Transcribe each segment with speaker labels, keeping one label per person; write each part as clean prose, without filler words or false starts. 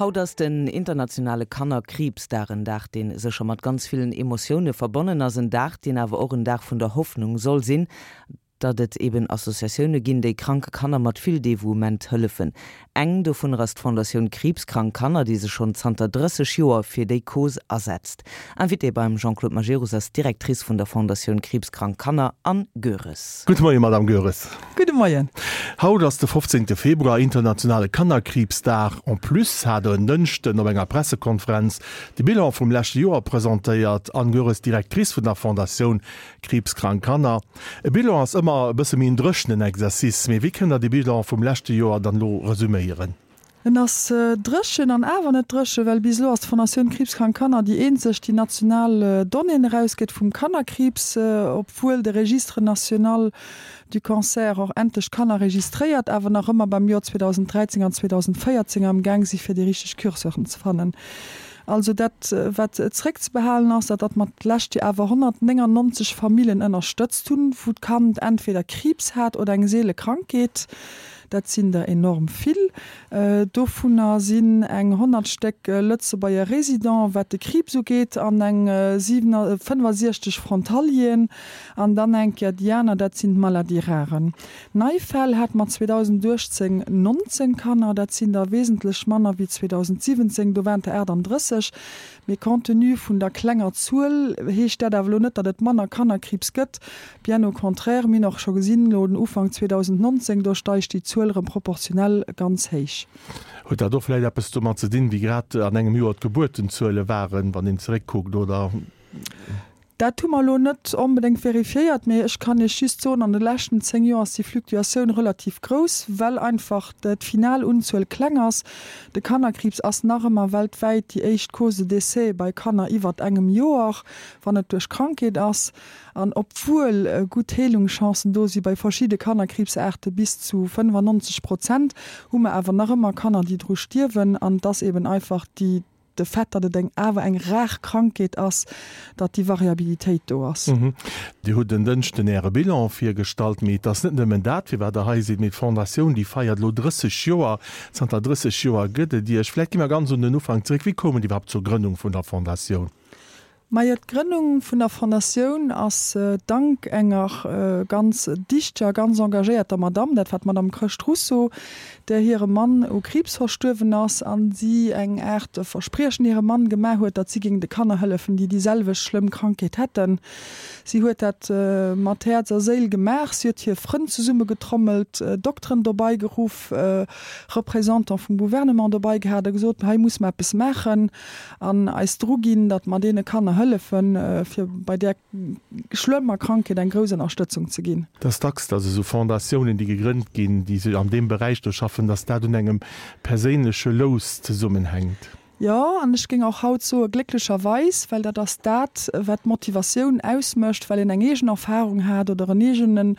Speaker 1: Haut ass den internationale Kannerkriibsdag, en Dag, dee sécher mat ganz villen Emotioune verbonnen ass, en Dag, deen awer och en Dag vun der Hoffnung soll sinn, datt et eben Associatioune ginn, déi kranke Kanner mat vill Devouement hëllefen. Eng dovunner ass d'Fondatioun Kriibskrank Kanner, déi sech schonn zanter 30 Joer fir déi Cause asetzt. Invitée beim Jean-Claude Majerus ass d'Directrice vun der Fondatioun Kriibskrank Kanner, Anne Goeres.
Speaker 2: Gudde Moien, Madame Goeres.
Speaker 3: Gudde Moien.
Speaker 2: Haut ass de 15. Februar, internationale Kannerkriibsdag. En plus hat Der en Dënschden op enger Pressekonferenz de Bilan vum leschte Joer presentéiert. Anne Goeres, Directrice vun der Fondatioun Kriibskrank Kanner. E Bilan ass ëmmer e bësse méi en dréchenen Exercice, mee wéi kënnt Der de Bilan vum leschte Joer dann elo resüméieren?
Speaker 3: En ass dréchen an awer net dréchen, well bis elo ass d'Fondatioun Kriibskrank Kanner déi eenzeg, déi national Donnéeën erausgëtt vum Kannerkriibs, obwuel de Registre national du cancer och endlech Kanner registréiert, awer nach ëmmer beim Joer 2013 an 2014 am Gaang si fir déi richteg Curseuren ze fannen. Also dat, wat zréckzebehalen ass, dat datt mer d'lescht Joer awer 199 Famillen ënnerstëtzt hunn, wou d'Kand entweder Kriibs hat oder eng seele Krankheet. Dat sinn der enorm vill. Dovunner sinn eng 100 Stéck Lëtzebuerger Résidenten, wat de Kriibs ugeet, an eng 65 Frontalieren. An dann eng Kéier déi aner, dat sinn d'Maladies rares. Nei Fäll hate mer 2018 19 Kanner, dat sinn der wesentlech manner wéi 2017, do waren der 38. Mee compte tenu vun der klenger Zuel heescht dat awer elo net, datt et manner Kannerkriibs gëtt. Bien au contraire, mir hunn och scho gesinn, elo den Ufank 2019, do steigt déi Zuel erëm proportionell ganz héich.
Speaker 2: Huet dat och vläicht eppes domat ze dinn, wéi grad an engem Joer d'Gebuertenzuele waren, wann een zeréckkuckt, oder?
Speaker 3: Dat hu mer elo net onbedéngt verifiéiert, mee ech kann Iech just soen, an de leschten 10 Joer ass déi Fluctuatioun relativ grouss, well einfach d'final Unzuel kleng ass. De Kannerkriibs ass nach ëmmer weltwäit déi éischt Cause de décès bei Kanner iwwert engem Joer, wann et duerch Krankheet ass. An obwuel gutt Heelungschancen do si bei verschidde Kannerkriibsaarte bis zu 95 Prozent, hu mer awer nach ëmmer Kanner, déi dru stierwen. An et ass eben einfach déi. De Fait, datt et eng awer eng rar Krankheet ass, datt déi Variabilitéit do ass.
Speaker 2: Dir hutt en Dënschden Äre Bilan virgestallt, mee et ass net nëmmen dat, firwat Der hei sidd, mee d'Fondatioun, déi feiert elo 30 Joer. Zanter 30 Joer gëtt et Iech. Vläicht gi mer ganz un den Ufank zeréck. Wéi koum et iwwerhaapt zur Grënnung vun der Fondatioun?
Speaker 3: Majo, d'Grënnung vun der Fondatioun ass dank enger ganz dichteger, ganz engagéierter Madamm, dat war d'Madame Chrëscht Russo, där hire Mann u Kriibs verstuerwen ass an si eng Aart Verspriechen hirem Mann gemaach huet, datt si géing de Kanner hëllefen, déi déi selwecht schlëmm Krankheet hätten. Si huet dat mat Häerz a Séil gemaach. Si huet hir Frënn zesummegetrommelt, Dokteren dobei geruff, Représentant vum Gouvernement dobei gehat a gesot, hei musse mer eppes maachen. An eis dru ginn, datt mer deene Kanner hëllefen, fir bei där schlëmmer Krankheet eng grouss Ënnerstëtzung ze ginn.
Speaker 2: Et ass dacks, datt esou Fondatiounen, déi gegrënnt ginn, déi sech an deem Beräich do schaffen, datt dat un engem perséinleche Lous zesummenhänkt.
Speaker 3: Jo, an ech géing och haut soe glécklecherweis, well dat ass dat, wat d'Motivatioun ausmécht, well een eng eegen Erfahrung hat oder en eegene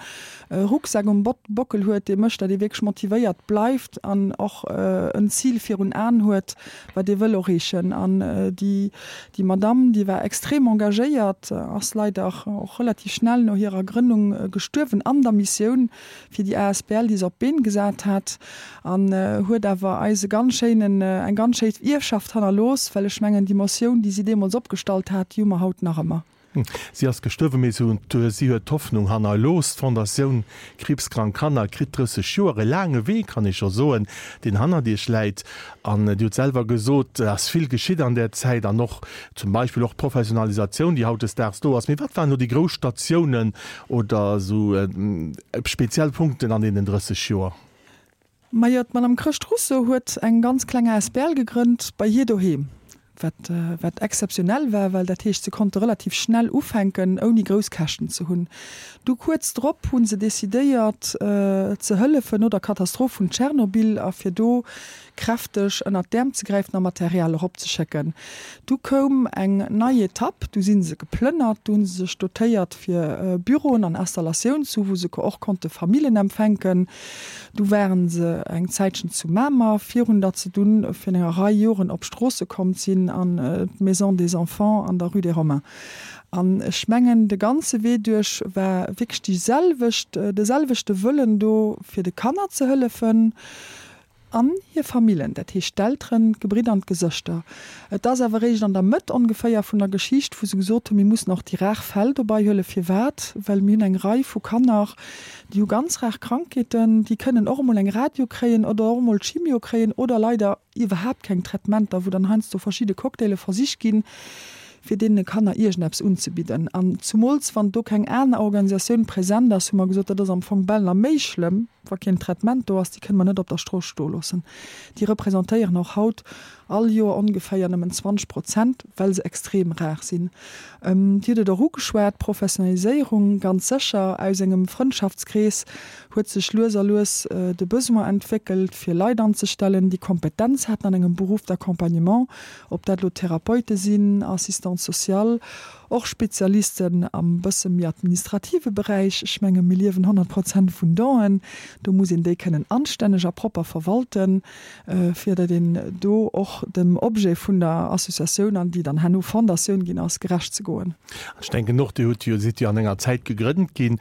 Speaker 3: Rucksak um Bockel huet, dee mécht, datt ee wierklech motivéiert bleift an och en Zil virun Aen huet, wat ee wëll erreechen. An déi, déi Madamm, déi war extrem engagéiert, ass leider och relativ schnell no hirer Grënnung gestuerwen an der Missioun fir déi asbl, déi se op d'Been gesat hat, an huet awer eis e ganz schéinen, eng ganz schéi Ierfschaft hannerlooss, well ech mengen, déi Motioun, déi si deemools opgestallt hat, déi hu mer haut nach ëmmer.
Speaker 2: Si ass gestuerwen, mee si huet d'Hoffnung hannerlooss. D'Fondatioun Kriibskrank Kanner kritt 30 Joer, e laange Wee, kann ee scho soen, deen hannert Iech läit. An Dir hutt selwer gesot, et ass vill geschitt an där Zäit an och zum Beispill och d'Professionalisatioun, déi hautdesdaags do ass. Mee wat waren elo déi grouss Statiounen oder esou speziell Punkten an deenen 30 Joer?
Speaker 3: Majo, d'Madame Chrëscht Russo huet eng ganz kleng asbl gegrënnt bei hir doheem, wat wat exzeptionell war, well dat heescht, se konnte relativ schnell ufänken, ouni grouss Käschten ze hunn. Du kuerz drop hu se decidéiert ze hëllefen no der Katastroph vun Tschernobyl a fir do kräfteg ënnert d'Äerm ze gräifen a Material eropzeschécken. Du koum eng nei Etapp, du si se geplënnert, du hu se sech dotéiert fir Büroen an Installatioun ze hu wou se och konnte Famillen empfänken. Du waren se eng Zäitchen zu Mamer, virun datt se dunn virun enger Rei Joren op Stroosse komm sinn an d'Maison des Enfants an der Rue des Romains. An ech mengen, de ganze Wee duerch war wierklech déi selwecht, de selwechte Wëllen do, fir de Kanner ze hëllefen. An hir Famillen, dat heescht d'Elteren, d'Gebridder an d'Gesëschter. Et ass awer eréischt an der Mëtt ongeféier vun der Geschicht, wou se gesot hunn, mir mussen och déi rar Fäll dobei huelen. Firwat? Well mir hunn eng Rei vu Kanner, déi hu ganz rar Krankheeten, déi kënnen och emol eng Radio kréien oder och emol Chimio kréien oder leider iwwerhaapt keng Traitementer, wou dann heiansdo verschidde Cocktaile versicht ginn, fir deene Kanner iergendeppes unzebidden. An zumools wann do keng aner Organisatioun present ass, hu mer gesot, dat ass am Fong bal nach méi schlëmm, wa keen Traitement do ass, déi kënne mer net op der Strooss stoe loossen. Déi representéieren och haut all Joer ongeféier nëmmen 20 Prozent, well se extrem rar sinn. Dir hutt et och ugeschwat, Professionaliséierung, ganz sécher. Aus engem Frëndschaftskrees huet sech lues a lues de Besoin entwéckelt, fir Leit anzestellen, déi Kompetenz haten an engem Beruff d'accompagnement, ob dat elo Therapeute sinn, Assistante sociale, och Spezialisten am bësse méi administrative Beräich. Ech menge mir liewen 100 Prozent vun Donen, do muss een déi kënnen anstänneg a propper verwalten, fir datt een do och dem Objet vun der Associatioun, an déi dann herno Fondatioun ginn ass, gerecht ze goen.
Speaker 2: An ech denken och, Dir hutt jo, sidd jo an enger Zäit gegrënnt ginn,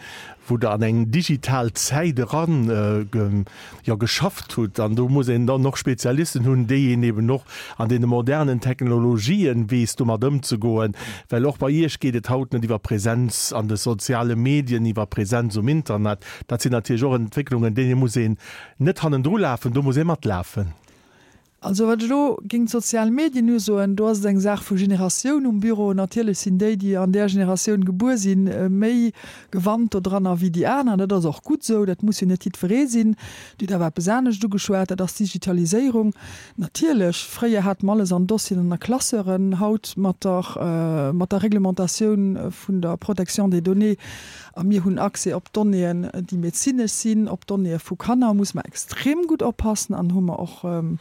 Speaker 2: wou Der an eng digital Zäit eran jo geschafft hutt an do muss een dann och Spezialisten hunn, déi een eben och an deene modernen Technologien weess domat ëmzegoen, well och bei Iech geet et haut net iwwer Präsenz an de soziale Medien, iwwer Präsenz um Internet. Dat sinn natierlech och Entwécklungen, deene muss een net hannendru lafen, do muss ee matlafen.
Speaker 3: Also wat ech elo géint d'sozial Medien usoen, do ass et eng Saach vu Generatioun um Büro. Natierlech sinn déi, déi an där Generatioun gebuer sinn, méi gewannt dodranner wéi déi aner. Dat ass och gutt esou, dat muss jo net jiddweree sinn. Dir hutt awer eppes anescht ugeschwat, dat ass d'Digitaliséierung. Natierlech, fréier hate mer alles an Dossieren an a Classeuren. Haut mat der, mat der Reglementatioun vun der Protection des données, a mir hunn Accès op Donnéeën, déi medezinesch sinn, op Donnéeë vu Kanner, muss mer extrem gutt oppassen an hu mer och e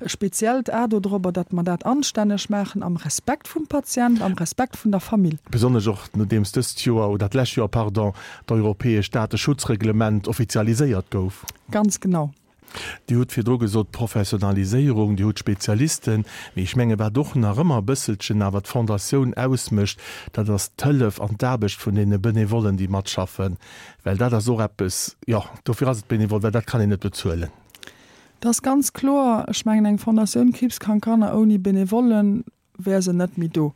Speaker 3: speziellt A dodrobber, datt mer dat anstänneg maachen am Respekt vum Patient, am Respekt vun der Famill.
Speaker 2: Besonnesch och nodeems dëst Joer, oder d'lescht Joer, pardon, d'europäescht Dateschutzreglement offizialiséiert gouf.
Speaker 3: Ganz genau.
Speaker 2: Dir hutt virdru gesot, Professionaliséierung, Dir hutt Spezialisten, mee ech menge wat och nach ëmmer e bësselchen awer d'Fondatioun ausmécht, dat ass d'Hëllef an d'Aarbecht vun deene Benevollen, déi matschaffen, well dat ass och eppes, jo, dofir ass et benevol, well dat kann een net bezuelen.
Speaker 3: Dat ass ganz kloer. Ech mengen, eng Fondatioun Kriibskrank Kanner ouni Benevollen wär se net méi do.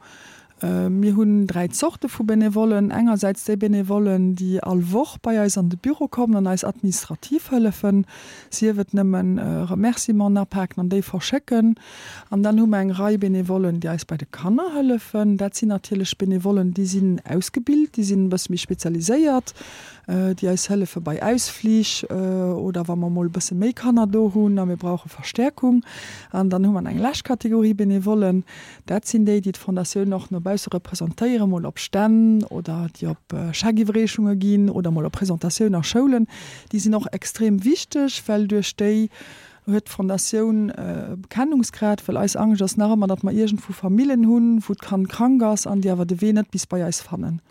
Speaker 3: Mir hunn 3 Zorte vu Benevollen, engersäits déi Benevollen, déi all Woch bei eis an de Büro kommen an eis administrativ hëllefen, sief et nëmmen Remerciementen apaken an déi verschécken. An dann hu mer eng Rei Benevollen, déi eis bei de Kanner hëllefen. Dat sinn natierlech Benevollen, déi sinn ausgebilt, déi sinn e bësse méi spezialiséiert, déi eis hëllefe bei Ausflich oder wa mer mol e bësse méi Kanner do hunn a mir brauche Verstäerkung. An dann hu mer eng lescht Kategorie Benevollen, dat sinn déi, déi d'Fondatioun och no bausse representéieren, mol op Stänn oder déi op Scheckiwwerreechunge ginn oder mol op Presentatioun a Schoulen. Déi sinn och extrem wichteg, well duerch déi huet d'Fondatioun e Bekennungsgrad, well eis Angscht ass nach ëmmer, datt mer iergendwou Famillen hunn, wou d'Kand krank ass an déi awer de Wee net bis bei eis fannen.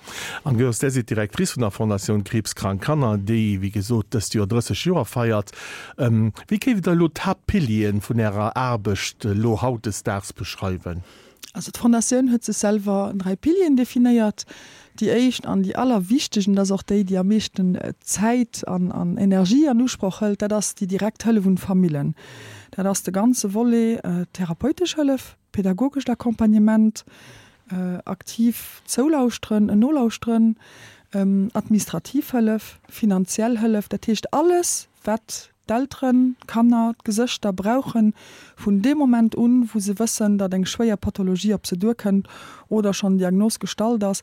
Speaker 2: Anne Goers, Där sidd Directrice vun der Fondatioun Kriibskrank Kanner, déi, wéi gesot, dëst Joer 30 Joer feiert. Wéi géift Der elo d'Haaptpilieren vun Ärer Aarbecht elo hautdesdaags beschreiwen?
Speaker 3: Also d'Fondatioun huet sech selwer 3 Pilieren definéiert. Déi éischt an déi allerwichtegst, an dat ass och déi, déi am meeschten Zäit an an Energie an Usproch hëlt, dat ass déi direkt Hëllef un d'Famillen. Dat ass de ganze Volet therapeutesch Hëllef, pedagogescht Accompagnement, aktiv Zoulauschteren, en Nolauschteren, administrativ Hëllef, finanziell Hëllef, dat heescht alles, wat d'Elteren, d'Kanner, d'Gesëschter brauchen, vun deem Moment un, wou se wëssen, datt eng schwéier Pathologie op se duerkënnt oder schonn Diagnos gestallt ass,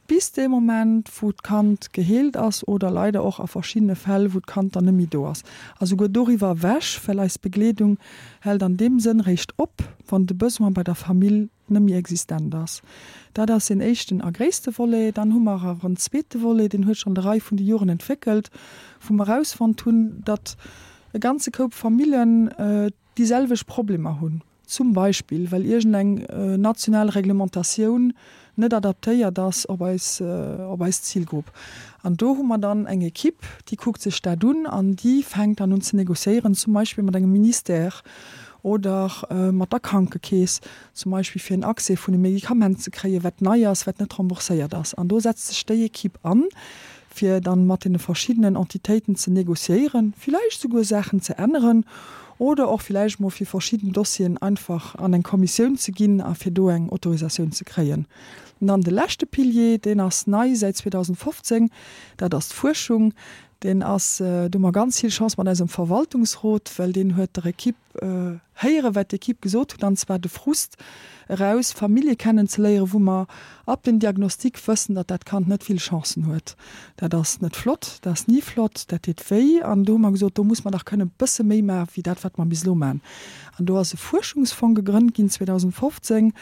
Speaker 3: bis dee Moment, wou d'Kand geheelt ass oder leider och a verschiddene Fäll, wou d'Kand dann net méi do ass. A souguer doriwwer ewech, well eis Begleedung hält an deem Sënn réischt op, wann de Besoin bei der Famill net méi existent ass. Dat ass een éischten a gréisste Volet. Dann hu mer awer en zweete Volet, deen huet sech an der Rei vun de Joren entwéckelt, wou mer erausfonnt hunn, datt e ganze Koup Famillen déi selwecht Problemer hunn, zum Beispill well iergendeng national Reglementatioun net adaptéiert ass op eis, op eis Zilgrupp. An do hu mer dann eng Equipe, déi kuckt sech dat un an déi fänkt dann un ze négociéieren, zum Beispill mat engem Ministère oder mat der Krankekeess, zum Beispill fir en Accès vun e Medikament ze kréien, wat nei ass, wat net rembourséiert ass. An do setzt sech déi Equipe an, fir dann mat deene verschiddenen Entitéiten ze négociéieren, villäicht souguer Saachen ze änneren oder och villäicht mol fir verschidden Dossieren einfach an eng Kommissioun ze ginn a fir do eng Autorisatioun ze kréien. An dann de leschte Pilier, deen ass nei säit 2015, dat ass d'Fuerschung. Deen ass, do hu mer ganz vill Chance mat eisem Verwaltungsrot, well deen huet der Equipe héieren, wat d'Equipe gesot huet, an zwar de Frust eraus, Famillje kennenzeléieren, wou mer ab dem Diagnostic wëssen, datt dat Kand net vill Chancen huet. Dat ass net flott, dat ass ni flott, dat deet wéi. An do hu mer gesot, do muss mer dach kënnen e bësse méi maachen, wéi dat, wat mer bis elo maachen. An do ass e Fuerschungsfong gegrënnt ginn 2015,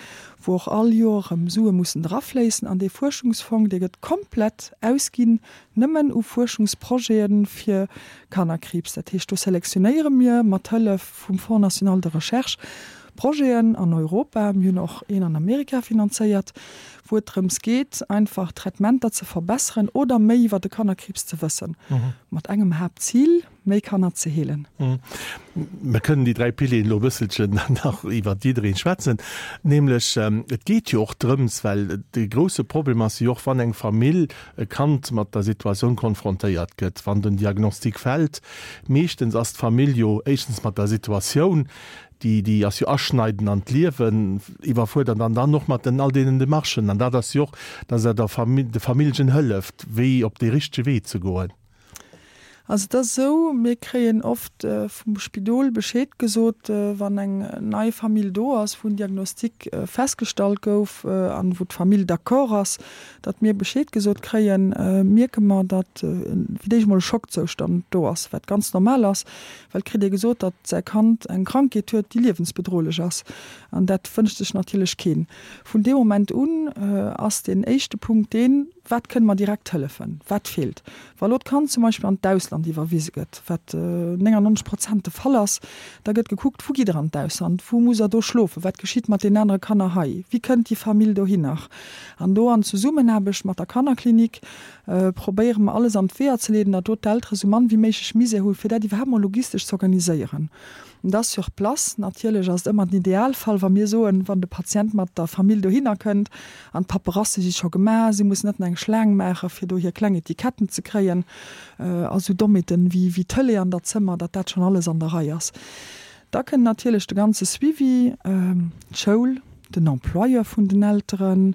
Speaker 3: wou och all Joer erëm Sue mussen drafléissen. An dee Fuerschungsfong, dee gëtt komplett ausginn nëmmen u Fuerschungsprojete fir Kannerkriibs. Dat heescht, do selektionéiere mir mat Hëllef vum Fonds national de recherche Projeten an Europa, mir hunn och een an Amerika finanzéiert, wou et drëms geet, einfach Traitementer ze verbesseren oder méi iwwer de Kannerkriibs ze wëssen, mat engem Haaptzil, méi Kanner ze heelen.
Speaker 2: Mir kënnen déi 3 Pilieren elo e bësselchen nach iwwert jiddereen schwätzen. Nämlech, et geet jo och drëms, well de grouse Problem ass jo och, wann eng Famill e Kand mat der Situatioun konfrontéiert gëtt, wann den Diagnostic fält, meeschtens ass d'Famill jo éischtens mat der Situatioun, déi, déi ass jo aschneidend an d'Liewen, iwwerfuerdert an dann och mat den all deenen Demarchen. An dat ass jo och, dass Der der Famill, de Familljen hëlleft, wéi op dee richtege Wee ze goen.
Speaker 3: Also et ass esou, mir kréien oft vum Spidol Bescheed gesot, wann eng nei Famill do ass, wou en Diagnostic festgestallt gouf an wou d'Famill d'accord ass, datt mir Bescheed gesot kréien, mierke mer, datt fir d'éischt emol e Schockzoustand do ass, wat ganz normal ass, well et kritt ee gesot, datt säi Kand eng Krankheet huet, déi liewensbedrohlech ass. An dat wënscht sech natierlech keen. Vun deem Moment un ass deen éischte Punkt deen, Wat kënne mer direkt hëllefen? Wat feelt? Wa lo d'Kand zum Beispill an d'Ausland iwwerwise gëtt, wat 99 Prozent de Fall ass, da gëtt gekuckt, Wou gitt Der an d'Ausland? Wou musst Der do schlofen? Wat geschitt mat deenen anere Kanner hei? Wéi kënnt déi Famill dohinner? An do an Zesummenaarbecht mat der Kannerklinik probéiere mer alles an d'Weeër ze leeden, datt do d'Eltere sou mann wéi méiglech Misär hu fir dat iwwerhaapt mol logistesch z'organiséieren. Da sur place natierlech ass et ëmmer den Idealfall, wa mir soen, wann de Patient mat der Famill dohinner kënnt an d'Paperasse si scho gemaach, si mussen net nach eng Schlaang maache fir do hir kleng Etiketten ze kréien a sou Dommheeten wéi wéi Tëlee an der Zëmmer, datt dat schonn alles an der Rei ass. Da kënnt natierlech de ganze Suivi, d'Schoul, den Employeur vun den Elteren,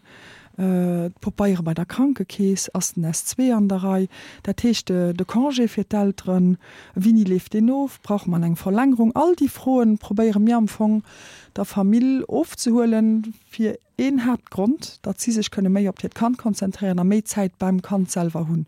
Speaker 3: D'Popeiere bei der Krankekeess, ass den S2 an der Rei, dat heescht de Congé fir d'Elteren, wéini leeft deen of, brauche mer eng Verlängerung? All déi Froen probéiere mir am Fong der Famill ofzehuelen, fir een Haaptgrond, datt si sech kënne méi op hiert Kand konzentréieren a méi Zäit beim Kand selwer hunn.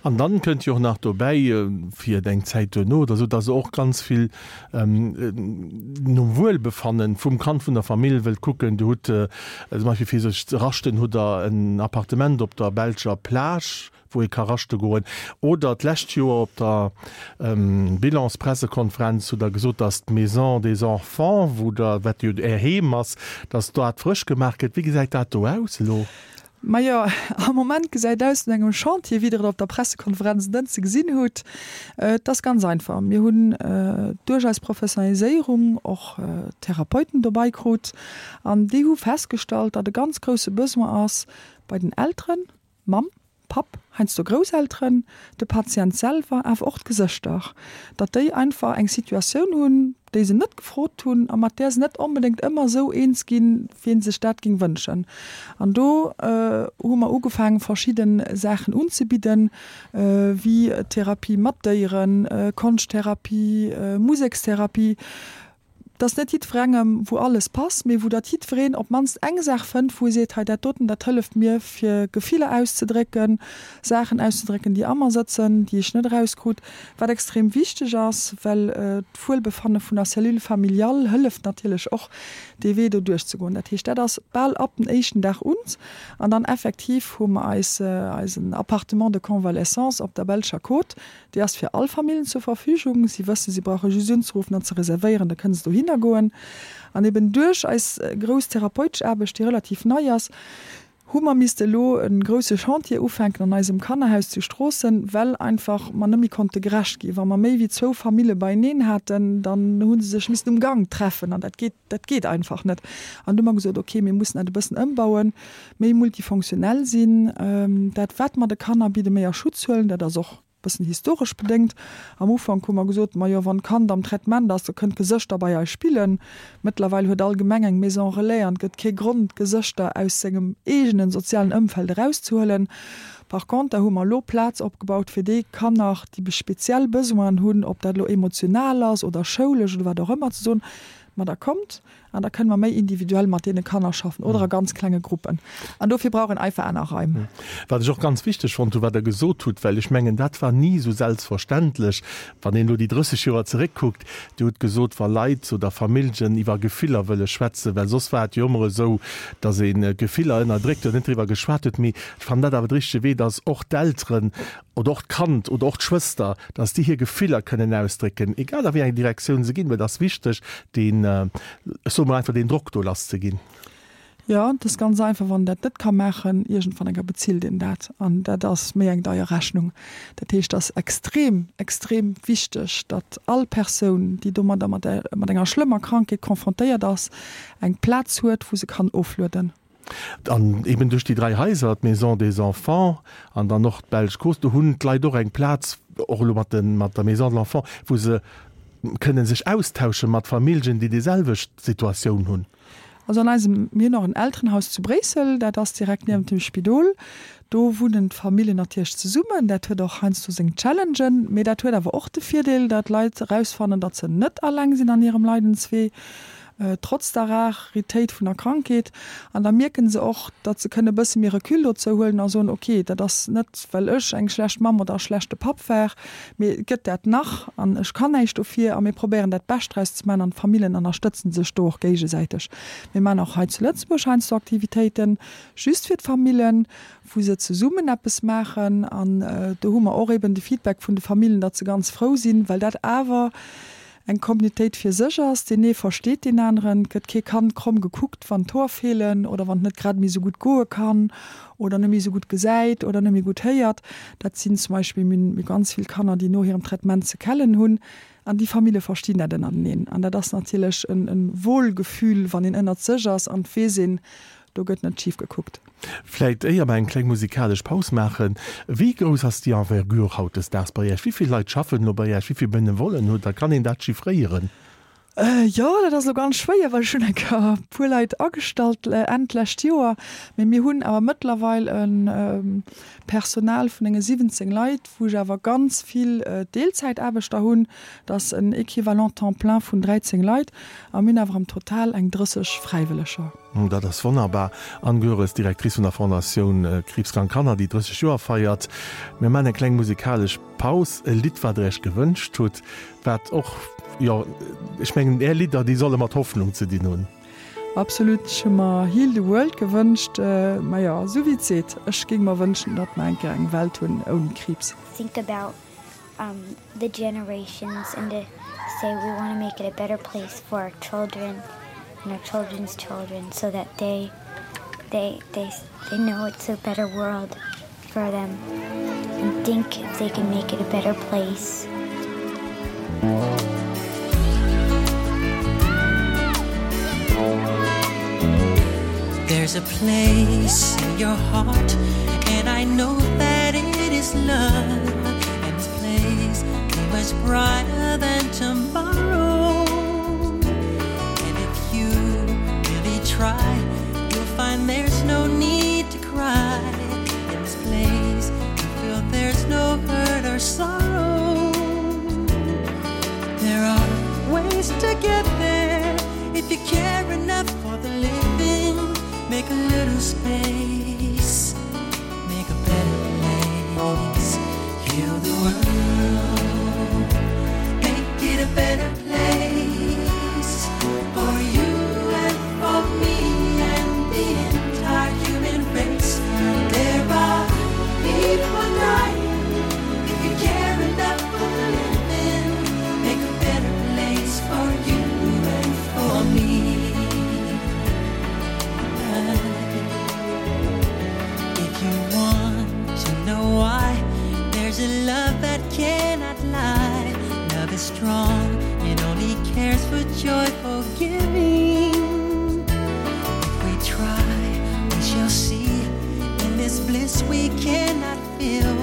Speaker 2: An dann kënnt jo och nach dobäi, fir eng Zäit duerno oder esou, dass se och ganz vill nom Wuelbefannen vum Kand, vun der Famill wëllt kucken. Dir hutt zum Beispill fir sech ze raschten, hutt Der en Appartement op der belscher Plage, wou ee ka raschte goen. Oder d'lescht Joer op der Bilanspressekonferenz hutt Der gesot, dass d'Maison des Enfants, wou Der, wat jo Är Heem ass, dass dat frësch gemaach gëtt. Wéi gesäit dat do aus elo?
Speaker 3: Majo, am Moment gesäit aus no engem Chantier, wéi Der et op der Pressekonferenz en Dënschde gesinn hutt. Et ass ganz einfach, Mir hunn duerch eis Professionaliséierung och Therapeuten dobei krut an déi hu festgestallt, datt e ganz grousse Besoin ass bei den Elteren, Mamm, Papp, heiansdo Grousselteren, de Patient selwer, awer och d'Gesëschter, datt déi einfach eng Situatioun hunn, déi se net gefrot hunn a mat där se net onbedéngt ëmmer esou eens ginn, wéi ee sech dat géing wënschen. An do hu mer ugefaangen, verschidde Saachen unzebidden, wéi Therapie mat Déieren, Konschttherapie, Musekstherapie, dass net jiddwerengem, wou alles passt, mee wou datt jiddwereen op d'mannst eng Saach fënnt, wou e seet, hei dat doten, dat hëlleft mir fir Gefiller auszedrécken, Saachen auszedrécken, déi a mer sëtzen, déi ech net erauskrut, wat extrem wichteg ass, well d'Wuelbefanne vun der Cellule familiale hëlleft natierlech och, dee Wee do duerchzegoen. Dat heescht, dat ass bal ab den éischten Dag un. An dann effektiv hu mer eis eisen Appartement de convalescence op der belscher Côte, Déi ass fir all Famillen zur Verfügung. Si wëssen, si brauche just unzeruffen an ze reservéieren, da kënne se dohinner goen. An eben duerch eis grouss therapeutesch Aarbecht, déi relativ nei ass, Hu mer misste elo e grousse Chantier ufänken an eisem Kannerhaus zu Stroossen, well einfach mer net méi konnte gerecht ginn. Wa mer méi wéi zwou Famille beieneen haten, dann hu se sech missen um Gank treffen an dat geet, dat geet einfach net. An du hu mer gesot, okay, mir mussen dat e bëssen ëmbauen, méi multifonctionnel sinn, dat wat mer de Kanner bidden, méi a Schutz huelen. Dat ass och Bëssen historesch bedéngt. Am Ufank hu mer gesot, majo wann d'Kand am Traitement ass, da kënnt d'Gesëschter bei eis spillen. Mëttlerweil huet all Gemeng eng Maison Relais an et gëtt kee Grond d'Gesëschter aus sengem eegenen sozialen Ëmfeld erauszehuelen. Par conter hu mer elo Plaz opgebaut fir déi Kanner, déi speziell Besoinen hunn, ob dat elo emotional ass oder schoulesch oder wat och ëmmer, ze soen, ma da kommt, An da kënne mer méi individuell mat deene Kanner schaffen oder a ganz klenge Gruppen. An dofir brauch een einfach aner Raim.
Speaker 2: Wat ech och ganz wichteg fonnt hu wat Der gesot hutt, well ech mengen, dat war ni esou selbstverständlech, wann een elo déi 30 Joer zeréckkuckt, Dir hutt gesot, wa Leit oder Familljen iwwer Gefiller wëlle schwätzen, well soss war et jo ëmmer esou, datt ee Gefiller ënnerdréckt huet, net driwwer geschwat huet. Mee ech fannen dat awer de richtege Wee, datt och d'Elteren oder och d'Kand oder och d'Schwëster, dass déi hir Gefiller kënnen ausdrécken, egal a wéi eng Direktioun se ginn, mä et ass wichteg, deen, ech soe mol einfach, deen Drock do lasszeginn.
Speaker 3: Jo, et ass ganz einfach, wann een dat net ka maachen, iergendwann enker bezilt een dat an dat ass méi eng deier Rechnung. Dat heescht, et ass extrem, extrem wichteg, datt all Persoun, déi domadder mat enger schlëmmer Krankheet confrontéiert ass, eng Plaz huet, wou se kann oflueden.
Speaker 2: An eben duerch déi 3 Haiser, d'Maison des Enfants an dann och d'Belsch Strooss, do hunn d'Leit och eng Plaz, och elo mat de mat der Maison de l'Enfant, wou se kënne sech austausche mat Familljen, déi déi selwecht Situatioun hunn.
Speaker 3: Also an eisem, mir hunn och en Elterenhaus zu Bréissel, dat ass direkt niewent dem Spidol. Do wunnen d'Familljen natierlech zesummen. Dat huet och heiansdo seng Challengen, mee dat huet awer och de Virdeel, datt d'Leit erausfannen, datt se net alleng sinn an hirem Leidenswee. trotz der Raritéit vun der Krankheet. An da mierken se och, datt se kënne e bësse méi Recul dozou huelen a soen, ok, dat ass net, well ech eng schlecht Mamm oder e schlechte Papp war, mee et gëtt dat nach an ech kann näischt dofir a mir probéieren dat Bescht draus ze maachen an d'Famillen ënnerstëtzen sech do och géigesäiteg. Mir maachen och hei zu Lëtzebuerg heiansdo Aktivitéiten just fir d'Famillen, wou se zesummen eppes maachen an do hu mer och eben de Feedback vun de Famillen, datt se ganz frou sinn, well dat awer eng Communautéit fir sech ass, deen ee versteet deen aneren, et gëtt kee Kand kromm gekuckt, wann d'Hoer feelen oder wann et net grad méi esou gutt goe kann oder net méi esou gutt gesäit oder net méi gutt héiert. Dat sinn zum Beispill, mir hunn ganz vill Kanner, déi no hirem Traitement Sequellen hunn an déi Famille verstinn dat ënnerteneen an dat ass natierlech e Wohlgefühl, wann een ënnert sech ass an et weess een, do gëtt net schif gekuckt.
Speaker 2: Vläit éier mer eng kleng musikalesch Paus maachen, wéi grouss ass déi Envergure hautdesdaags bei Iech? Wéi vill Leit schaffen elo bei Iech? Wéi vill Benevollen hutt Der? Kann een dat chiffréieren?
Speaker 3: Jo, dat ass elo ganz schwéier, well ech hunn eng Kéier e puer Leit agestallt Enn d'lescht Joer. Mee mir hunn awer mëttlerweil e Personal vun enge 17 Leit, wou ech awer ganz vill Deelzäitaarbechter hunn. Dat ass en Equivalent temps plein vun 13 Leit. A mir hunn awer am Total eng 30 Fräiwëlleger.
Speaker 2: Dat ass wonnerbar. Anne Goeres, Directrice vun der Fondatioun Kriibskrank Kanner, déi 30 Joer feiert. Mir maachen eng kleng musikalesch Paus. E Lidd, wat Der Iech gewënscht hutt, wat och, jo, ech mengen, Är Lidder, déi solle mat Hoffnung ze dinn hunn.
Speaker 3: Absolut. Ech hu mer Heal the World gewënscht. Majo, esou wéi et seet, ech géing mer wënschen, datt mer eng Kéier eng Welt hunn ouni Kriibs.
Speaker 4: Think about um, the generations and to say we want to make it a better place for our children and our children's children so that they they they they know it's a better world for them and think if they can make it a better place.
Speaker 5: There's a place in your heart and I know that it is love and this place be much brighter than tomorrow and if you really try you'll find there's no need to cry in this place you feel there's no hurt or sorrow there are ways to get there if you care enough for the living make a little space make a better place heal the world make it a better place for you and for me and the entire human race there are people dying if you care enough for the living make a better place for you and for me. strong, it only cares for joyful giving. If we try, we shall see in this bliss we cannot feel.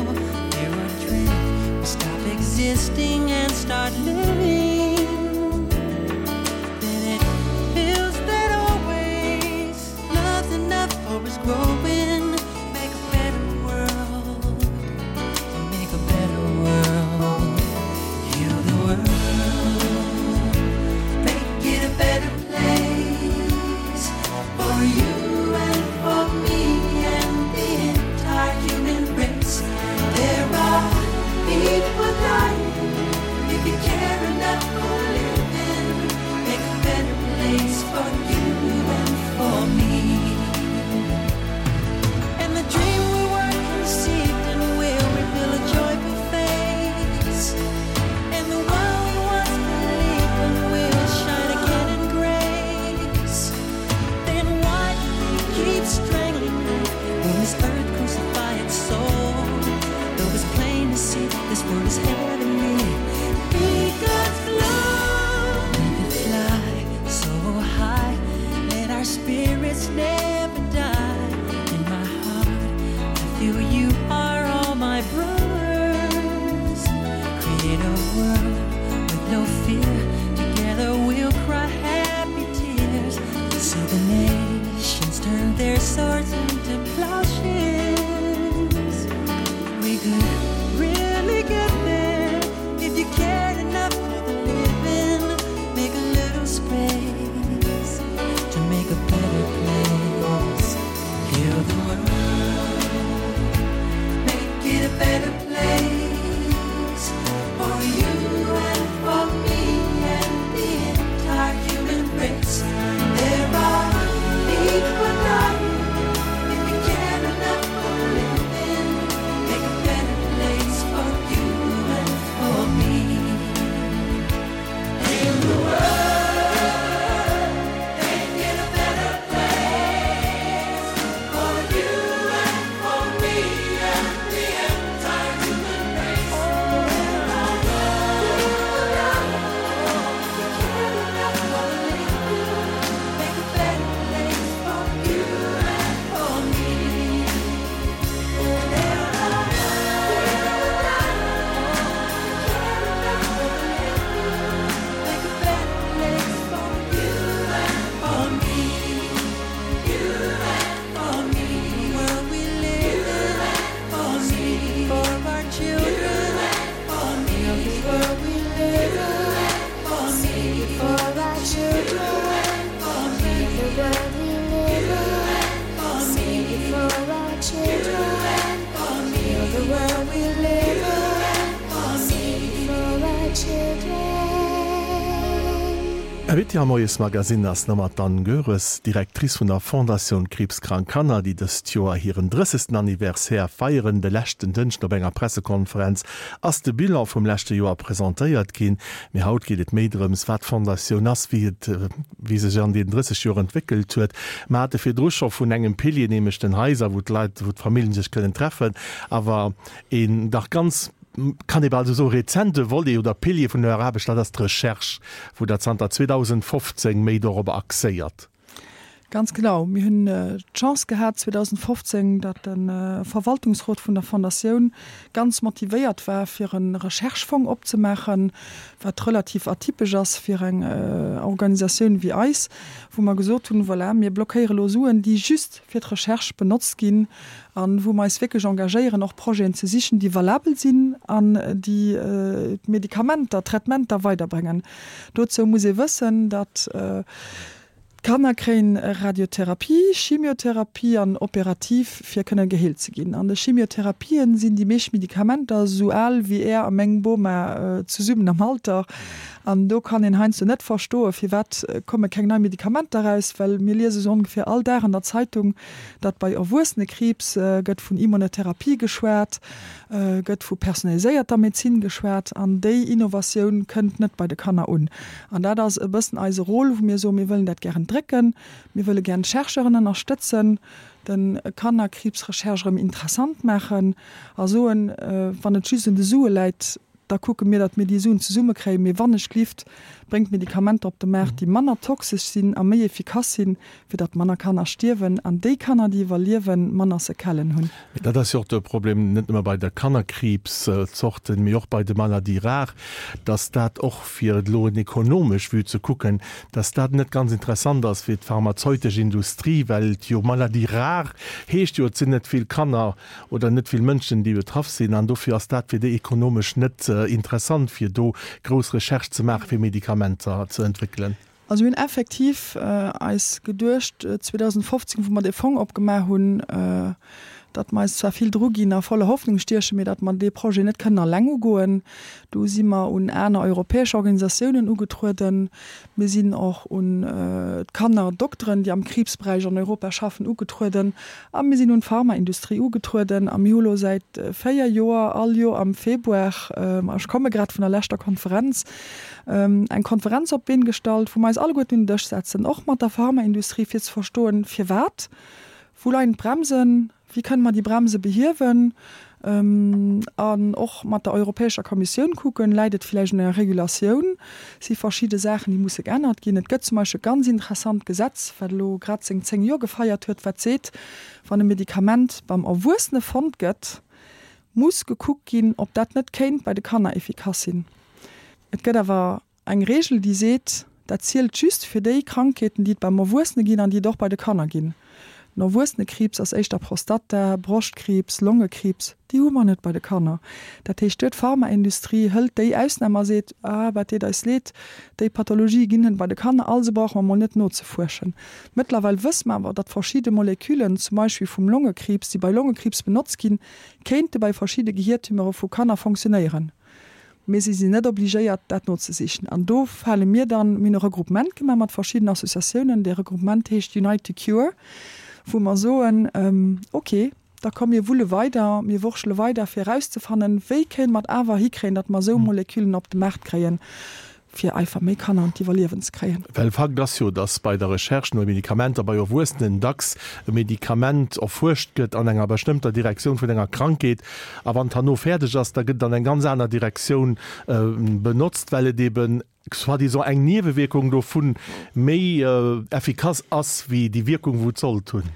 Speaker 5: Fear or dread, we stop existing and start living. Then it feels that always love's enough for us growing. Make a better world, to make a better world. Heal the world, make it a better place for you and for me and the entire human race. There are people dying. If you care enough for living, make a better place for you and for me. And the dream we were conceived in will reveal a joyful face. And the one we once believed in will shine again in grace. Then why do we keep strangling life when this earth crucify its soul? Though it's plain to see this world is heavenly. Be God's love. We could fly so high. Let our spirits never die. In my heart, I feel you are all my brothers. Create a world with no fear. Together we'll cry happy tears. See the nations turn their swords into plowshares. We could really get there if you cared enough for the living. Make a little space to make a better place. Heal the world, make it a better place for you and for me and the entire human race. There are people dying. If you care enough for living, make a better place for you and for me. Heal the world, make it a better place for you and for me and the entire human race. If you care enough for living, make a better place for you and for me. There are people dying. If you care enough for living, make a better place for you and for me. You and for me. The world we live in, for me, for our children, for me. The world we live in, for me,
Speaker 4: for our children,
Speaker 5: for me.
Speaker 4: The world we live in,
Speaker 5: for me,
Speaker 4: for our children,
Speaker 5: for me.
Speaker 4: The world we live in,
Speaker 5: for me,
Speaker 4: for our children.
Speaker 2: Invité am Moiesmagazin ass nomat d'Anne Goeres, Directrice vun der Fondatioun Kriibskrank Kanner, déi dëst Joer hiren 30. Anniversaire feieren. De leschten Dënschden op enger Pressekonferenz ass de Bilan vum leschte Joer presentéiert ginn. Mee haut geet et méi drëms, wat d'Fondatioun ass, wéi et wéi sech an deenen 30 Joer entwéckelt huet. Mer hate virdru scho vun engem Pilier, nämlech den Haiser, wou d'Leit, wou d'Familljen sech kënnen treffen, awer een dach ganz, kann ee bal esou soen, rezente Volet oder Pilier vun eurer Aarbecht, dat ass d'Recherche, wou Der zanter 2015 méi dorobber axéiert.
Speaker 3: Ganz genau. Mir hunn d'Chance gehat 2015, datt de Verwaltungsrot vun der Fondatioun ganz motivéiert war, fir e Recherchefong opzemaachen, wat relativ atypesch ass fir eng Organisatioun wéi eis, wou mer gesot hunn, voilà, mir blockéiere lo Suen, déi just fir d'Recherche benotzt ginn a wou mer eis wierklech engagéieren, och Projeten ze sichen, déi valabel sinn an déi d'Medikamenter, d'Traitementer weiderbréngen. Dozou muss ee wëssen, datt d'Kanner kréien Radiotherapie, Chimiotherapie an operativ, fir kënne geheelt ze ginn. An de Chimiotherapien sinn déi meescht Medikamenter esou al wéi Är a meng Boma zesummen am Alter. An do kann een heiansdo net verstoen, firwat komme keng nei Medikamenter eraus, well mir liese sou ongeféier all Dag an der Zeitung, datt bei Erwuessenekriibs gëtt vun Immunotherapie geschwat, gëtt vu personaliséierter Medezin geschwat, an déi Innovatioun kënnt net bei de Kanner un. An dat ass e bëssen eise Rôle, wou mir soen, mir wëllen dat gären drécken, mir wëlle gären d'Chercheuren ënnerstëtzen, de Kannerkriibsrecherche erëm interessant maachen a soen, wann et just un de Sue läit. Da kucke mir, datt mir déi Suen zesummekréien. Mee wannechglift, bréngt Medikamenter op de Maart, déi manner toxesch sinn a méi efficace sinn, fir datt manner Kanner stierwen an déi Kanner, déi iwwerliewen, manner Sequellen hunn.
Speaker 2: Mee dat ass jo och de Problem, net nëmme bei de Kannerkriibszorten, mee och bei de Maladies rares, datt dat och, fir et elo en ekonomesch Vue ze kucken, datt dat net ganz interessant ass fir d'pharmazeutesch Industrie, well et jo Maladies rares heescht jo, et sinn net vill Kanner oder net vill Mënschen, déi betraff sinn, an dofir ass dat fir déi ekonomesch net interessant, fir do grouss Recherche ze maachen, fir Medikamenter ze entwéckelen.
Speaker 3: Also mir hunn effektiv eis geduecht 2015, wou mer dee Fong opgemaach hunn, datt mer eis zwar vill druginn a voller Hoffnung stiechen, mee datt mer dee Projet net kënnen alleng ugoen. Do si mer un aner europäesch Organisatiounen ugetrueden. Mir sinn och un d'Kannerdokteren, déi am Kriibsberäich an Europa schaffen, ugetrueden. A mir sinn un d'Pharmaindustrie ugetrueden. A mir hu lo säit 4 Joer all Joer am Februar, ech komme grad vun der leschter Konferenz, eng Konferenz op d'Been gestallt, wou mer eis alleguerten un den Dësch setzen, och mat der Pharmaindustrie, fir ze verstoen, firwat, wou leien d'Bremsen, Wéi kënne mer déi Bremse behiewen? An och mat der Europäescher Kommissioun kucken, läit et villäicht un enger Regulatioun? Si verschidde Saachen, déi musse geännert ginn? Et gëtt zum Beispill e ganz interessant Gesetz, wat elo grad seng 10 Joer gefeiert huet, wat seet, wann e Medikament beim Erwuessene fonnt gëtt, muss gekuckt ginn, ob dat net kéint bei de Kanner efficace sinn. Et gëtt awer Eng Reegel, déi seet, dat zielt just fir déi Krankheeten, déi et beim Erwuessene ginn an déi et och bei de Kanner ginn. Den Erwuessenekriibs ass éischter Prostata, Broschtkriibs, Longekriibs, déi hu mer net bei de Kanner. Dat heescht, duer d'Pharmaindustrie hëlt déi Ausnam a seet, ah, dat deet eis leed, déi Pathologie ginn net bei de Kanner, also brauche mer mol net nozefuerschen. Mëttlerweil wësse mer awer, datt verschidde Moleküllen, zum Beispill vum Longekriibs, déi bei Longekriibs benotzt ginn, kéinte bei verschidde Gehiertumeure vu Kanner fonctionnéieren. Mee si sinn net obligéiert, dat nozesichen. An do fale mir dann, mir hunn e Regroupement gemaach mat verschiddenen Associatiounen, dee Regroupement heescht Unite to Cure, wou mer soen, ok, da komm mir wulle weider, mir wurschele weider, fir erauszefannen, wéi kéinte mer et awer hikréien, datt mer esou Moleküllen op de Maart kréien, fir einfach méi Kanner an d'Iwwerliewen ze kréien.
Speaker 2: Well Fakt ass jo, datt bei der Recherche no Medikamenter bei Erwuessenen dacks e Medikament erfuerscht gëtt an enger bestëmmter Direktioun vun enger Krankheet, a wann et herno fäerdeg ass, da gëtt et an eng ganz aner Direktioun benotzt, well et eben soi-disant eng Niewewierkung dovun méi effikass ass wéi déi Wierkung, wou et sollt hunn.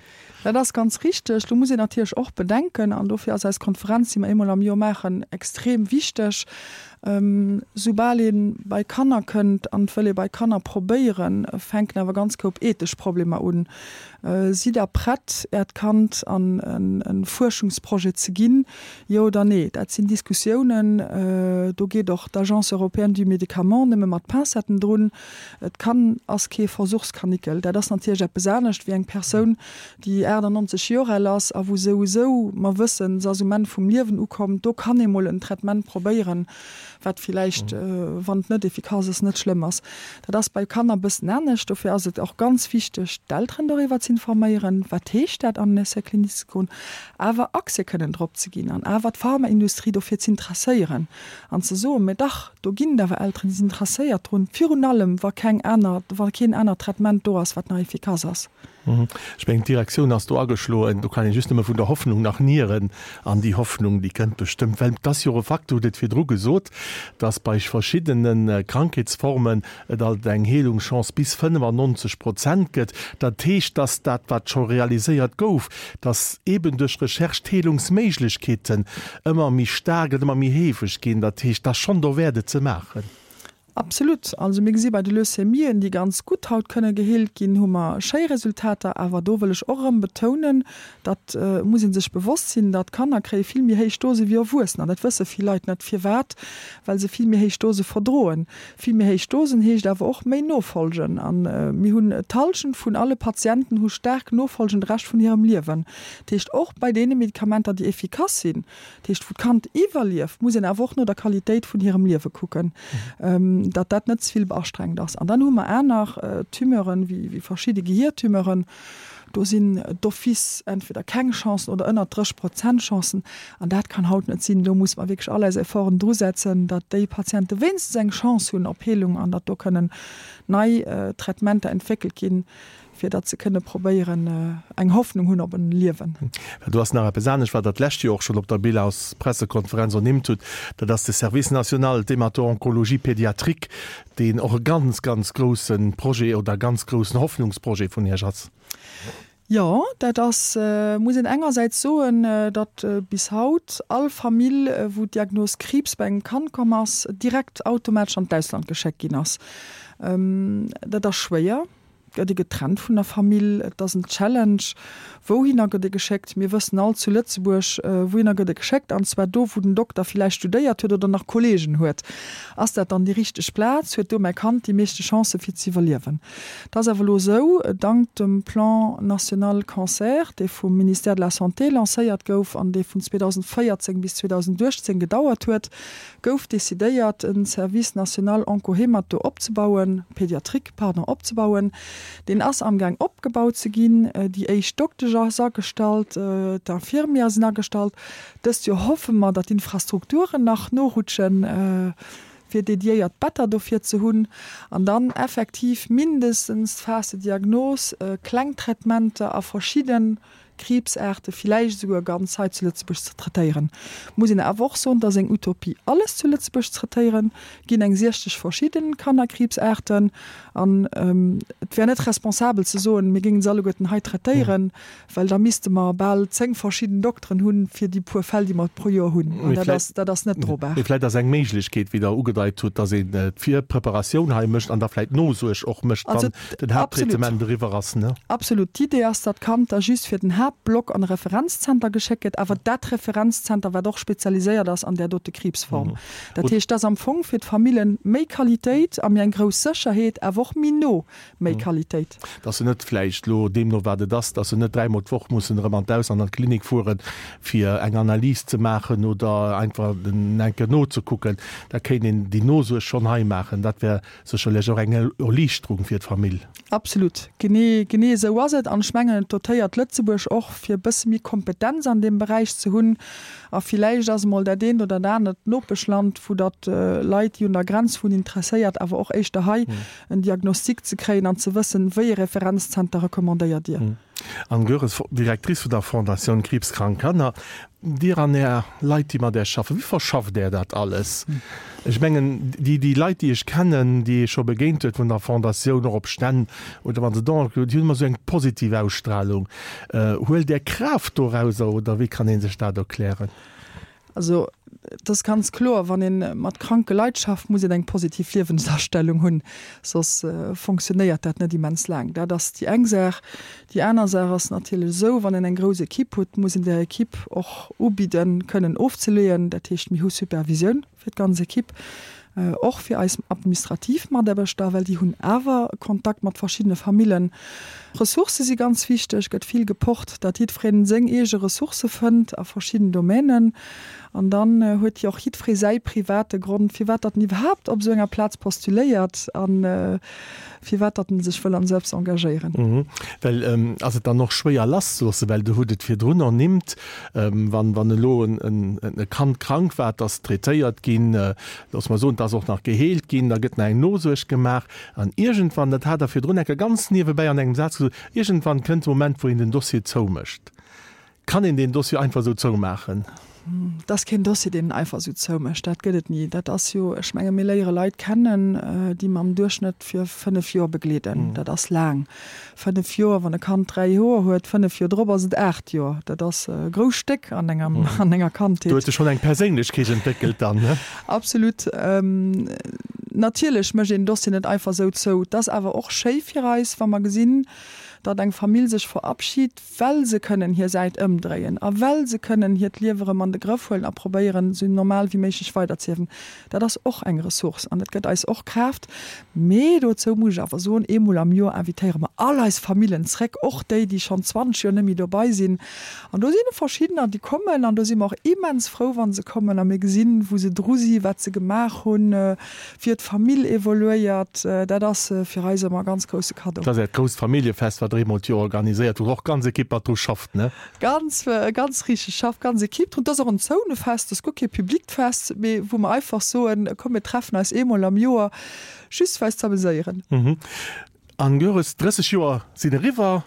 Speaker 3: Dat ass ganz richteg. Do muss een natierlech och bedenken, an dofir ass eis Konferenz, déi mer eemol am Joer maachen, extrem wichteg, Soubal ee bei Kanner kënnt an et wëll ee bei Kanner probéieren, fänken awer ganz koup ethesch Problemer un. Sidd Der prett, Äert Kand an e Fuerschungsprojet ze ginn, jo oder nee? Dat sinn Diskussiounen, do geet och d'Agence européenne du médicament nëmme mat Pincetten drun. Et kann ass kee Versuchskanickel. Dat ass natierlech eppes anescht wéi eng Persoun, déi 98 Joer al ass a wou souwisou mer wëssen, se ass um Enn vum Liewen ukomm. Do kann ee mol en Traitement probéieren, wat villäicht, wann et net efficace ass, net schlëmm ass. Dat ass bei Kanner e bëssen anescht. Dofir ass et och ganz wichteg, d'Elteren doriwwer ze informéieren, wat heescht dat an en Essai clinique ze goen, awer Accès kënnen drop ze ginn an awer d'Pharmaindustrie dofir z'interesséieren an ze soen, mä dach, do ginn et awer Elteren, déi sinn interesséiert drun, virun allem wa keng aner, wa keen anert Traitement do ass, wat nach efficace ass.
Speaker 2: Ech mengen, d'Direktioun ass do ageschloen. Do kann ee just nëmme vun der Hoffnung nach nieren. An déi Hoffnung, déi kënnt bestëmmt, well et ass jo och e Fakt, Dir hutt et virdru gesot, dass bei verschiddene Krankheetsformen et alt eng Heelungschance bis 95 Prozent gëtt. Dat heescht, dass dat, wat scho realiséiert gouf, dass eeben duerch Recherche d'Heelungsméiglechkeeten ëmmer méi staark an ëmmer méi heefeg ginn. Dat heescht, et ass schonn derwäert, et ze maachen.
Speaker 3: Absolut. Also mir gesi bei de Leucämien, déi ganz gutt haut kënne geheelt ginn, hu mer schéi Resultater. Awer do wëll ech och erëm betounen, dat muss ee sech bewosst sinn, datt Kanner kréie vill méi héich Dose wéi Erwuessener. Dat wësse vill Leit net. Firwat? Well se vill méi héich Dose verdroen. Vill méi héich Dosen heescht awer och méi Nofolgen. A mir hunn d'Hallschent vun alle Patienten hu staark Nofolgen de Rescht vun hirem Liewen. Dat heescht och bei deene Medikamenter, déi efficace sinn, Dat heescht, wou d'Kand iwwerlieft, muss een awer och no der Qualitéit vun hirem Liewe kucken, datt dat net ze vill beastrengt ass. An dann hu mer aner Tumeuren, wéi verschidde Gehiertumeuren, do sinn d'office entweder keng Chancen oder ënnert 30 Prozent Chancen. An dat kann haut net sinn. Do musse mer wierklech all eis Efforten drusetzen, datt déi Patiente wéinstens eng Chance hunn op Heelung an datt do kënnen nei Traitementer entwéckelt ginn. Fir datt se kënne probéieren, eng Hoffnung hunn op en Liewen.
Speaker 2: Well do ass nach eppes anescht, wat Der d'lescht Joer och schonn op der Bilanspressekonferenz ernimmt hutt, dat ass de Service national d'hémato-oncologie pédiatrique, deen och e ganz, ganz grousse Projet oder e ganz groussen Hoffnungsprojet vun Iech ass.
Speaker 3: Jo, dat ass, muss een engersäits soen, datt bis haut all Famill, wou d'Diagnos Kriibs bei engem Kand komm ass, direkt automatesch an d'Ausland geschéckt ginn ass. Dat ass schwéier. Gëtt ee getrennt vun der Famill? Et ass en Challenge. Wouhinner gëtt ee geschéckt? Mir wëssen all zu Lëtzebuerg, wouhinner gëtt e geschéckt, an zwar do, wou den Dokter villäicht studéiert huet oder nach Kolleegen huet. Ass dat dann déi richteg Plaz? Huet do mäi Kand déi meeschte Chancë fir ze iwwerliewen? Et ass awer elo esou, dank dem Plan national cancer, dee vum Ministère de la Santé lancéiert gouf an dee vun 2014 bis 2018 gedauert huet, gouf decidéiert, e Service national onco-hémato opzebauen, pédiatrique, pardon, opzebauen. Deen ass amgaang opgebaut ze ginn. Déi éischt Doktesch ass agestallt, d'Infirmière sinn agestallt. Dëst Joer hoffe mer, datt d'Infrastrukturen nach norutschen, fir dediéiert Better dofir ze hunn an dann effektiv mindestens d'Phase de diagnose, kleng Traitementer a verschidden Kriibsaarte villäicht esouguer ganz hei zu Lëtzebuerg ze traitéieren. Muss een awer och soen, et ass eng Utopie alles zu Lëtzebuerg ze traitéieren, ginn eng 60 verschidden Kannerkriibsaarten an et wär net responsabel ze soen, mir géingen se alleguerten hei traitéieren, well da misste mer bal 10 verschidden Dokteren hunn fir déi puer Fäll déi mer pro Joer hunn an dat ass dat ass net drobar.
Speaker 2: Mee vläicht ass eng Méiglechkeet, wéi Der ugedeit hutt, datt een d'Virpreparatioun hei mécht an da vläicht d'Nosuerg och mécht, wann den Haapttraitement eriwwer ass, ne?
Speaker 3: Absolut. D'Idee ass, datt d'Kand da just fir den Haaptblock an e Referenzzenter geschéckt gëtt, awer dat Referenzzenter, wat och spezialiséiert ass an där dote Kriibsform. Dat heescht, et ass am Fong fir d'Famillen méi Qualitéit a méi eng grouss Sécherheet, awer och méi no méi Qualitéit.
Speaker 2: Datt se net vläicht elo, deemno wat et ass, datt se net dräimol d'Woch mussen erëm an d'Ausland an d'Klinik fueren, fir eng Analys ze maachen oder einfach eng Kéier nozekucken. Da kéint een déi Nosuerg schonn hei maachen. Dat wär Sécherlech och eng Erliichterung fir d'Famill.
Speaker 3: Absolut, genee, genee esou ass et. An ech mengen, et dotéiert Lëtzebuerg och, fir e bësse méi Kompetenz an deem Beräich ze hunn. A villäicht ass emol dat eent oder dat anert Nopeschland, wou datt Leit, déi un der Grenz wunnen, interesséiert, awer och éischter hei en Diagnostic ze kréien an ze wëssen, wéi e Referenzzenter recommandéiert Dir.
Speaker 2: Anne Goeres, Directrice vun der Fondatioun Kriibskrank Kanner. Dir an Är Leit, déi mat Äech schaffen, wéi verschafft Där dat alles? Ech mengen, déi, déi Leit, déi ech kennen, déi ee scho begéint huet vun der Fondatioun, och op Stänn oder wa se Donen gemaach hunn, déi hunn ëmmer esou eng positiv Ausstrahlung. Huelt Där Kraaft dorauser oder wéi kann ee sech dat erklären?
Speaker 3: Also et ass ganz kloer, wann ee mat kranke Leit schafft, muss een eng positiv Liewensastellung hunn, soss fonctionnéiert dat net immens laang. Dat ass déi eng Saach. Déi aner Saach ass natierlech esou, wann een eng grouss Equipe huet, muss een där Equipe och ubidden, kënnen ofzeleeën. Dat heescht, mir hu Supervisioun fir d'ganz Equipe, och fir eis administrativ Mataarbechter, well déi hunn awer Kontakt mat verschiddene Famillen. Ressourcë si ganz wichteg, gëtt vill gepocht, datt jiddwereen seng eege Ressourcë fënnt a verschidden Domänen. An dann huet jo och jiddweree säi private Grond, firwat datt en iwwerhaapt op esou enger Plaz postuléiert a firwat datt en sech wëll an esou eppes engagéieren.
Speaker 2: Well ass et dann och schwéier lasszeloossen, well Der hutt et virdrun ernimmt, wann wann elo e Kand krank war, et ass traitéiert ginn, loosse mer soen, et ass och nach geheelt ginn, da gëtt nach eng Nosuerg gemaach an iergendwann, dat hat Der virdrun enker ganz niewebäi an engem Saz gesot, iergendwann kënnt de Moment, wou een den Dossier zoumécht. Kann een deen Dossier einfach esou zoumaachen?
Speaker 3: Et ass keen Dossier, deen een einfach esou zoumécht. Dat gëtt et ni. Dat ass jo, ech menge mir léiere Leit kennen, déi mer am Duerchschnëtt fir 5 Joer begleeden. Dat ass laang. 5 Joer, wann e Kand 3 Joer huet, 5 Joer drop ass et 8 Joer. Dat ass e grousst Stéck an engem, an enger Kandheet.
Speaker 2: Do huet sech schonn eng Perséinlechkeet entwéckelt dann, ne?
Speaker 3: Absolut. Natierlech mécht een Dossier net einfach esou zou. Et ass awer och schéi fir eis, wa mer gesinn, datt eng Famill sech verabschit, well se kënnen hir Säit ëmdréien a well se kënnen hiert Liewe rëm an de Grëff huelen a probéieren, esou normal wéi méiglech weiderziewen. Dat ass och eng Ressource an dat gëtt eis och Kraaft. Mee dozou muss ech awer soen, eemol am Joer invitéiere mer all eis Famillen zréck, och déi, déi schonn 20 Joer net méi dobei sinn. An do sinn verschiddener, déi kommen an do si mer och immens frou, wa se kommen a mir gesinn, wou se dru si, wat se gemaach hunn, Wéi d'Famill evoluéiert, dat ass fir eis ëmmer e ganz grousse Kaddo.
Speaker 2: Dat ass äert grousst Familljefest, wat der eemol d'Joer organiséiert, wou och ganz Ekipp mat dru schafft, ne?
Speaker 3: Ganz, ganz richteg, schafft ganz Ekipp drun. Et ass och en Zounefest, et ass guer kee publikt Fest, mee wou mer einfach soen, komm mir treffen eis eemol am Joer, just fir eis z'ameséieren.
Speaker 2: Anne Goeres, 30 Joer sinn eriwwer.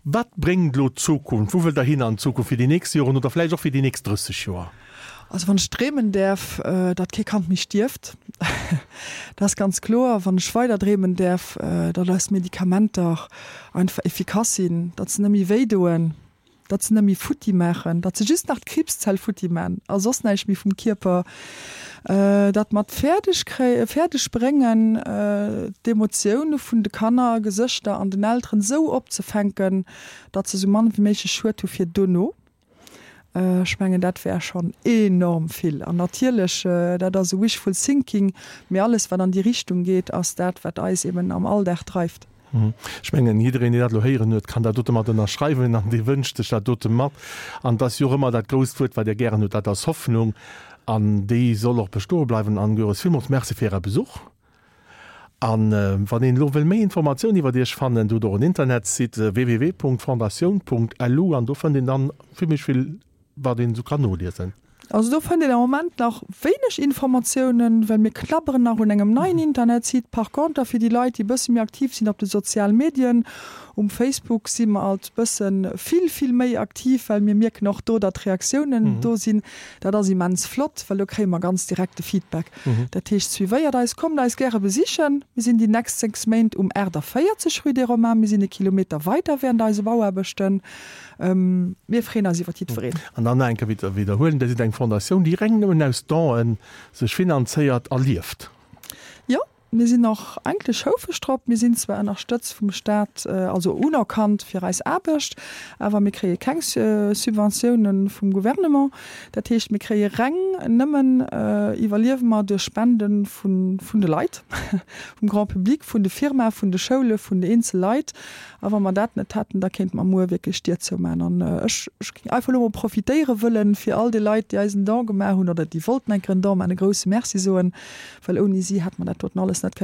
Speaker 2: Wat bréngt elo d'Zukunft? Wou wëllt Der hin an Zukunft fir déi nächst Joren oder vläicht och fir déi nächst 30 Joer?
Speaker 3: Also wann ech dreemen däerf, datt kee Kand méi stierft, dat ass ganz kloer. Wann ech weider dreemen däerf, datt eis Medikamenter einfach efficace sinn, datt se net méi wéi doen, datt se net méi futti maachen, datt se just nach d'Kriibszell futti man a soss näischt méi vum Kierper, datt mer et fäerdeg kréien, fäerdeg bréngen, d'Emotioune vun de Kanner, Gesëschter an den Elteren esou opzefänken, datt se esou mann wéi méiglech Schued hu fir dono. Ech mengen, dat wär schonn enorm vill. An natierlech, dat ass e wishful thinking, mee alles, wat an déi Richtung geet, ass dat, wat eis eben am Alldag dreift.
Speaker 2: Ech mengen, jiddereen, deen dat elo héieren huet, kann dat dote mat ënnerschreiwen an dee wënscht sech dat dote mat. An et ass jo och ëmmer dat grousst Wuert, wat Dir gären hutt, dat ass Hoffnung. An déi soll och bestoe bleiwen. Anne Goeres, villmools Merci fir Äre Besuch. A wann een elo wëll méi Informatioun iwwert Iech fannen, Dir hutt och en Internetsite, www.fondatioun.lu, an do fënnt een dann zimmlech vill wat een esou kann noliesen.
Speaker 3: Also do fënnt een am Moment nach wéineg Informatiounen, well mir knabberen nach un engem neien Internetsite. Par conter fir déi Leit, déi e bësse méi aktiv sinn op de sozial Medien, um Facebook si mer alt bësse vill, vill méi aktiv, well mir mierken och do, datt Reaktiounen do sinn. Dat ass immens flott, well do kréie mer ganz direkte Feedback. Dat heescht, suivéiert eis, kommt eis gäre besichen. Mir sinn déi nächst 6 Méint um 48 rue des Romains, mir sinn e Kilometer weider während eise Bauaarbechten. Mir freeën eis iwwer jiddwereen.
Speaker 2: An dann nach eng Kéier widderhuelen, Dir sidd eng Fondatioun, déi reng nëmmen aus Donen sech finanzéiert a lieft.
Speaker 3: Jo, mir sinn och eigentlech houfreg drop. Mir sinn zwar ënnerstëtzt vum Staat, also unerkannt fir eis Aarbecht, awer mir kréie keng Subventiounen vum Gouvernement. Dat heescht, mir kréie reng nëmmen, iwwerliewe mer duerch Spende vun de Leit, vum Grand public, vun de Firmae, vun de Schoule, vun de eenzel Leit. A wa mer dat net hätten, da kéinte mer muer wierklech d'Dier zoumaachen. An ech géing einfach elo mol profitéiere wëllen, fir all de Leit, déi eis en Don gemaach hunn oder déi wollten eng Kéier en Don maachen, e grouse Merci soen, well ouni si hätte mer dat doten alles net kënnen.